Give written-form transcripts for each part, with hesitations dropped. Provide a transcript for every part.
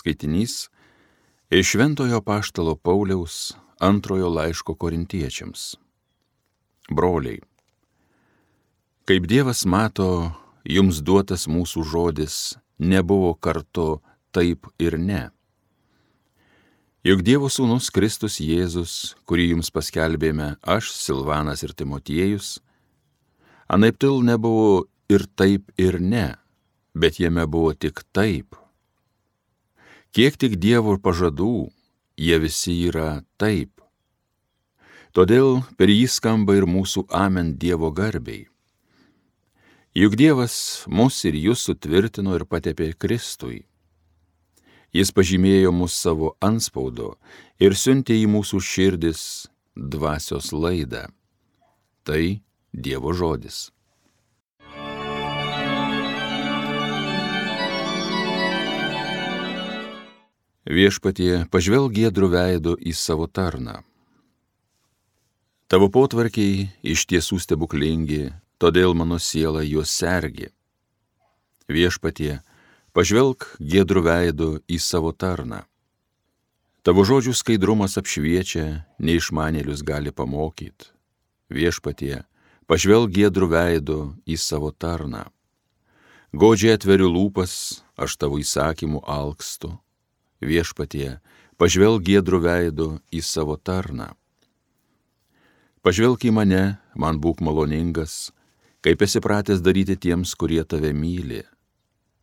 Skaitinys iš Šventojo Apaštalo Pauliaus antrojo laiško Korintiečiams. Broliai, kaip Dievas mato, jums duotas mūsų žodis nebuvo kartu taip ir ne. Juk Dievo sūnus Kristus Jėzus, kurį jums paskelbėme aš, Silvanas ir Timotiejus, anaiptol nebuvo ir taip ir ne, bet jame buvo tik taip. Kiek tik Dievo pažadų, jie visi yra taip. Todėl per jį skamba ir mūsų amen Dievo garbei. Juk Dievas mus ir jus sutvirtino ir patepė Kristui. Jis pažymėjo mus savo antspaudu ir siuntė į mūsų širdis dvasios laidą. Tai Dievo žodis. Viešpatie, pažvelk giedru veidu į savo tarną. Tavo potvarkiai iš tiesų stebuklingi, todėl mano siela juos sergi. Viešpatie, pažvelk giedru veidu į savo tarną. Tavo žodžių skaidrumas apšviečia, neišmanėlius gali pamokyti. Viešpatie, pažvelk giedru veidu į savo tarną. Godžiai atveriu lūpas, aš tavo įsakymų alkstu. Viešpatie, pažvelk giedru veidu į savo tarną. Pažvelk į mane, man būk maloningas, kaip esi pratęs daryti tiems, kurie tave myli.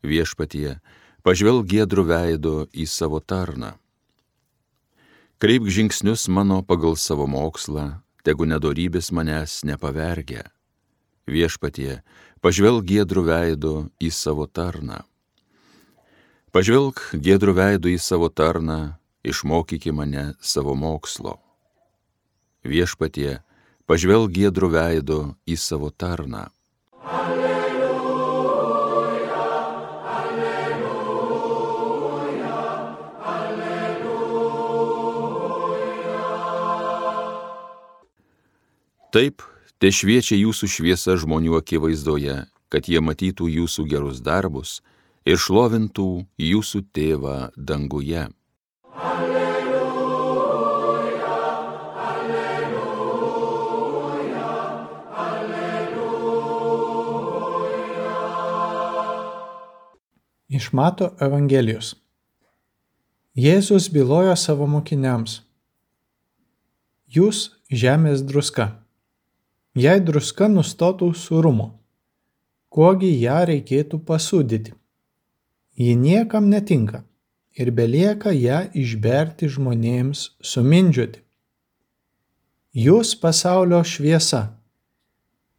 Viešpatie, pažvelk giedru veidu į savo tarną. Kreipk žingsnius mano pagal savo mokslą, tegu nedorybės manęs nepavergia. Viešpatie, pažvelk giedru veidu į savo tarną. Pažvelk giedru veidu į savo tarną, išmokyki mane savo mokslo. Viešpatie, pažvelk giedru veidu į savo tarną. Alleluja, alleluja, alleluja. Taip, te šviečia jūsų šviesa žmonių akivaizdoje, kad jie matytų jūsų gerus darbus ir šlovintų jūsų tėvą danguje. Alleluja, alleluja, alleluja. Iš Mato Evangelijos. Jėzus bylojo savo mokiniams: Jūs žemės druska. Jei druska nustotų sūrumo, kuogi ją reikėtų pasūdyti? Ji niekam netinka ir belieka ją išberti žmonėms sumindžioti. Jūs pasaulio šviesa.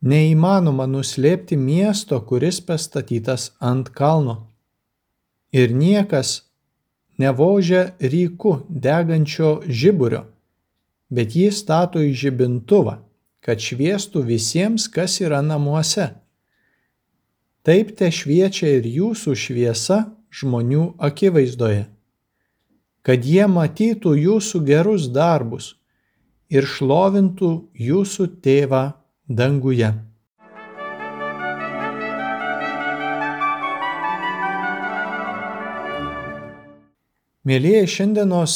Neįmanoma nuslėpti miesto, kuris pastatytas ant kalno. Ir niekas nevožia ryku degančio žiburio, bet jį stato į žibintuvą, kad šviestų visiems, kas yra namuose. Taip te šviečia ir jūsų šviesa žmonių akivaizdoje, kad jie matytų jūsų gerus darbus ir šlovintų jūsų tėvą danguje. Mielieji, šiandienos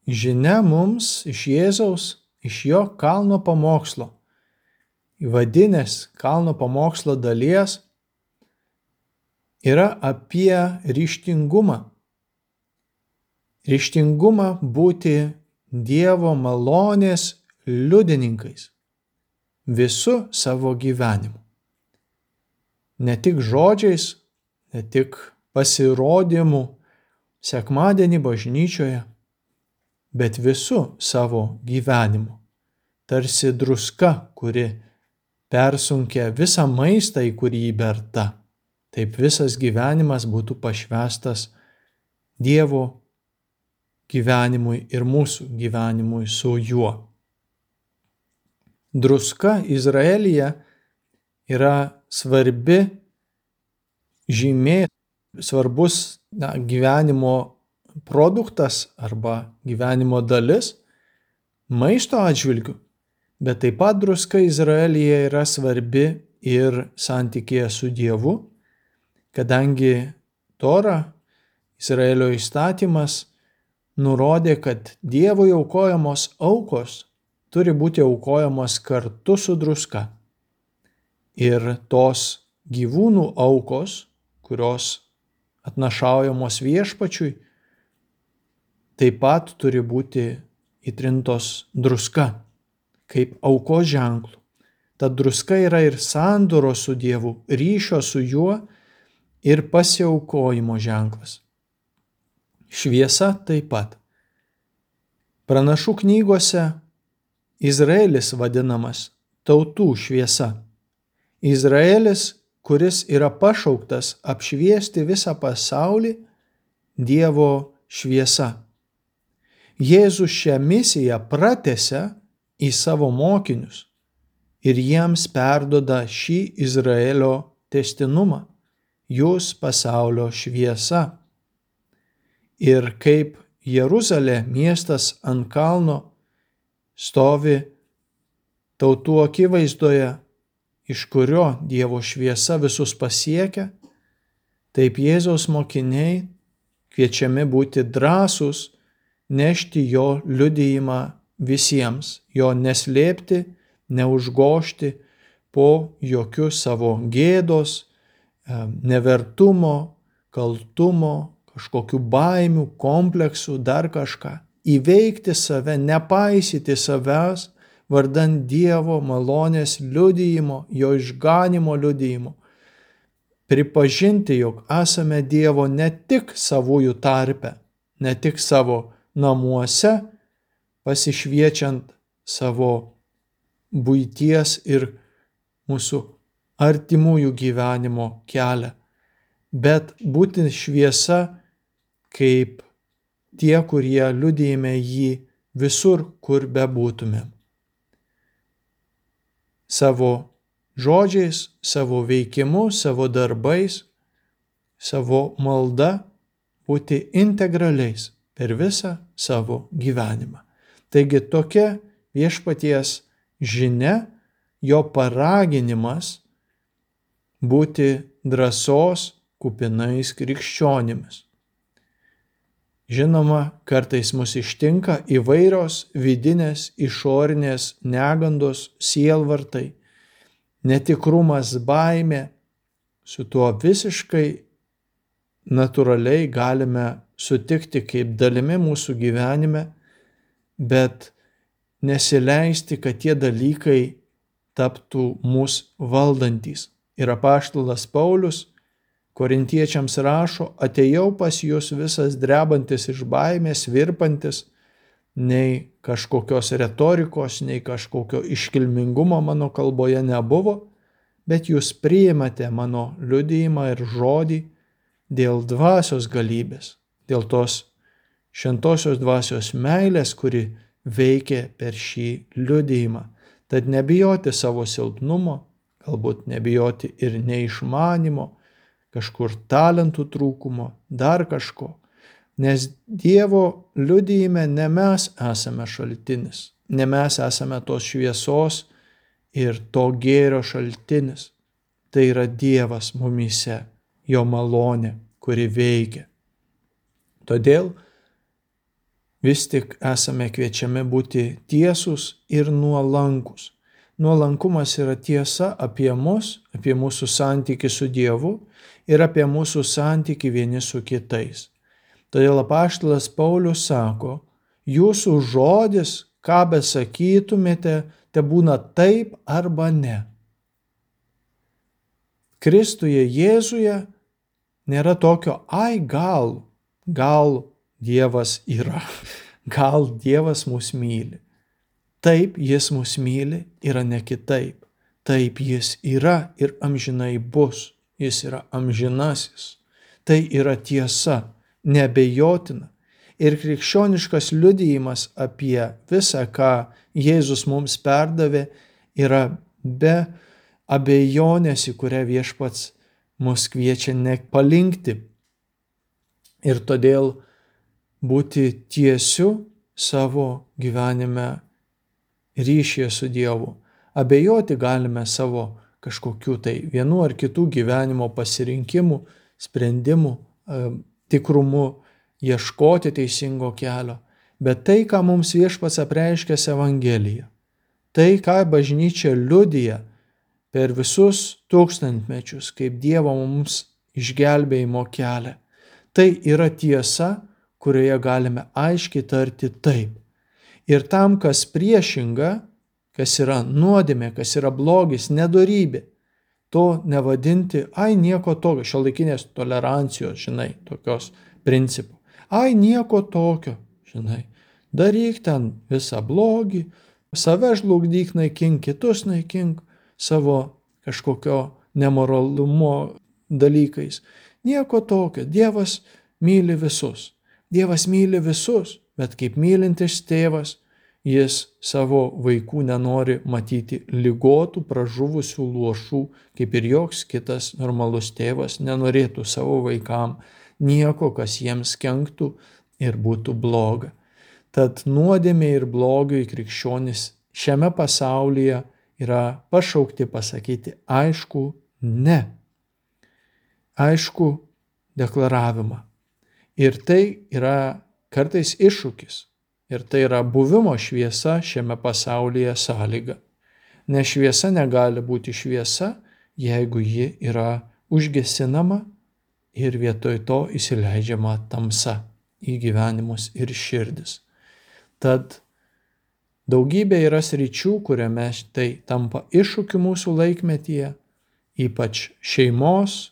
žinia mums iš Jėzaus, iš jo kalno pamokslo, įvadinės kalno pamokslo dalies, yra apie ryžtingumą. Ryžtingumą būti Dievo malonės liudininkais visu savo gyvenimu. Ne tik žodžiais, ne tik pasirodymu sekmadienį bažnyčioje, bet visu savo gyvenimu. Tarsi druska, kuri persunkia visą maistą, į kurį įberta. Taip visas gyvenimas būtų pašvęstas Dievo gyvenimui ir mūsų gyvenimui su juo. Druska Izraelyje yra svarbi žymė, svarbus gyvenimo produktas arba gyvenimo dalis maisto atžvilgiu, bet taip pat druska Izraelyje yra svarbi ir santykėje su Dievu, kadangi Tora Izraelio įstatymas nurodė, kad Dievui aukojamos aukos turi būti aukojamos kartu su druska. Ir tos gyvūnų aukos, kurios atnašaujamos viešpačiui, taip pat turi būti įtrintos druska, kaip aukos ženklų. Ta druska yra ir sandoros su Dievu, ryšio su juo ir pasiaukojimo ženklas. Šviesa taip pat. Pranašų knygose Izraelis vadinamas tautų šviesa. Izraelis, kuris yra pašauktas apšviesti visą pasaulį, Dievo šviesa. Jėzus šią misiją pratęsia į savo mokinius ir jiems perduoda šį Izraelio tęstinumą. Jūs pasaulio šviesa. Ir kaip Jeruzalė, miestas ant kalno, stovi tautų akivaizdoje, iš kurio Dievo šviesa visus pasiekia, taip Jėzaus mokiniai kviečiami būti drąsūs, nešti jo liudijimą visiems, jo neslėpti, neužgožti po jokių savo gėdos, nevertumo, kaltumo, kažkokių baimių, kompleksų, dar kažką. Įveikti save, nepaisyti savęs, vardan Dievo malonės liudijimo, jo išganimo liudijimo. Pripažinti, jog esame Dievo ne tik savųjų tarpe, ne tik savo namuose, pasišviečiant savo buities ir mūsų artimųjų gyvenimo kelią, bet būti šviesa kaip tie, kurie liudijame jį visur, kur bebūtumėm. Savo žodžiais, savo veikimu, savo darbais, savo malda būti integraliais per visą savo gyvenimą. Taigi tokia viešpaties žinia, jo paraginimas būti drąsos kupinais krikščionimis. Žinoma, kartais mus ištinka įvairios vidinės, išorinės negandos, sielvartai, netikrumas, baimė. Su tuo visiškai natūraliai galime sutikti kaip dalimi mūsų gyvenime, bet nesileisti, kad tie dalykai taptų mus valdantys. Ir apaštalas Paulius Korintiečiams rašo: atėjau pas jūs visas drebantis iš baimės, virpantis, nei kažkokios retorikos, nei kažkokio iškilmingumo mano kalboje nebuvo, bet jūs priimate mano liudijimą ir žodį dėl dvasios galybės, dėl tos šventosios dvasios meilės, kuri veikia per šį liudijimą. Tad nebijoti savo silpnumo, galbūt nebijoti ir neišmanimo, kažkur talentų trūkumo, dar kažko. Nes Dievo liudijime ne mes esame šaltinis, ne mes esame tos šviesos ir to gėrio šaltinis. Tai yra Dievas mumyse, jo malonė, kuri veikia. Todėl vis tik esame kviečiami būti tiesūs ir nuolankus. Nuolankumas yra tiesa apie mus, apie mūsų santykį su Dievu ir apie mūsų santykį vieni su kitais. Todėl apaštalas Paulius sako: jūsų žodis, ką besakytumėte, tebūna taip arba ne. Kristuje Jėzuje nėra tokio gal Dievas yra, gal Dievas mus myli. Taip jis mus myli, yra ne kitaip. Taip jis yra ir amžinai bus. Jis yra amžinasis. Tai yra tiesa, neabejotina. Ir krikščioniškas liudijimas apie visą, ką Jėzus mums perdavė, yra be abejonės, į kurią viešpats mus kviečia nepalinkti. Ir todėl būti tiesiu savo gyvenime ryšyje su Dievu. Abejoti galime savo kažkokių tai vienų ar kitų gyvenimo pasirinkimų, sprendimų, tikrumu, ieškoti teisingo kelio, bet tai, ką mums Viešpats apreiškęs Evangelija, tai, ką bažnyčia liudija per visus tūkstantmečius, kaip Dievo mums išgelbėjimo kelią, tai yra tiesa, kurioje galime aiškiai tarti taip. Ir tam, kas priešinga, kas yra nuodėmė, kas yra blogis, nedorybė, to nevadinti, nieko tokio, šiuolaikinės tolerancijos, tokios principų. Nieko tokio, daryk ten visą blogį, save žlugdyk, naikink, kitus naikink savo kažkokio nemoralumo dalykais. Nieko tokio, Dievas myli visus. Dievas myli visus, bet kaip mylintis tėvas, jis savo vaikų nenori matyti ligotų, pražuvusių, luošų, kaip ir joks kitas normalus tėvas nenorėtų savo vaikam nieko, kas jiems kenktų ir būtų bloga. Tad nuodėmė ir blogiui krikščionys šiame pasaulyje yra pašaukti pasakyti aišku ne. Aišku deklaravimą. Ir tai yra kartais iššūkis. Ir tai yra buvimo šviesa šiame pasaulyje sąlyga. Nes šviesa negali būti šviesa, jeigu ji yra užgesinama ir vietoj to įsileidžiama tamsa į gyvenimus ir širdis. Tad daugybė yra sričių, kuriame tai tampa iššūkiu mūsų laikmetyje, ypač šeimos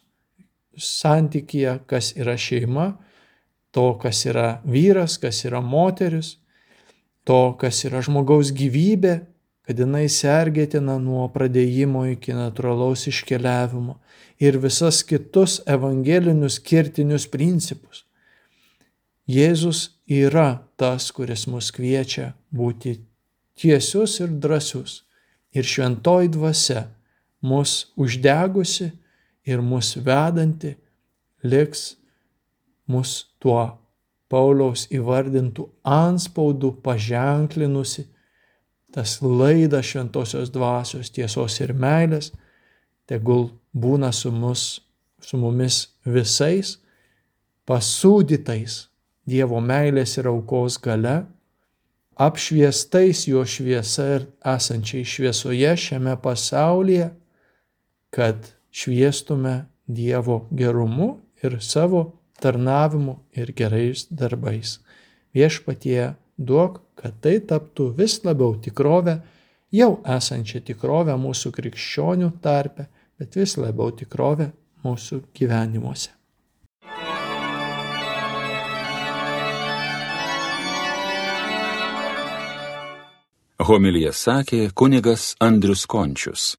santykyje, kas yra šeima, to, kas yra vyras, kas yra moteris, to, kas yra žmogaus gyvybė, kad jinai sergėtina nuo pradėjimo iki natūralaus iškeliavimo ir visas kitus evangelinius kertinius principus. Jėzus yra tas, kuris mus kviečia būti tiesius ir drąsius. Ir šventoji dvasia mus uždegusi ir mus vedanti liks mus tuo Pauliaus įvardintų antspaudų paženklinusi, tas laidas šventosios dvasios tiesos ir meilės, tegul būna su mumis visais, pasūdytais Dievo meilės ir aukos galia, apšviestais jo šviesa ir esančiai šviesoje šiame pasaulyje, kad šviestume Dievo gerumu ir savo tarnavimu ir gerais darbais. Viešpatie duok, kad tai taptų vis labiau tikrovę, jau esančią tikrovę mūsų krikščionių tarpe, bet vis labiau tikrovę mūsų gyvenimuose. Homiliją sakė kunigas Andrius Končius.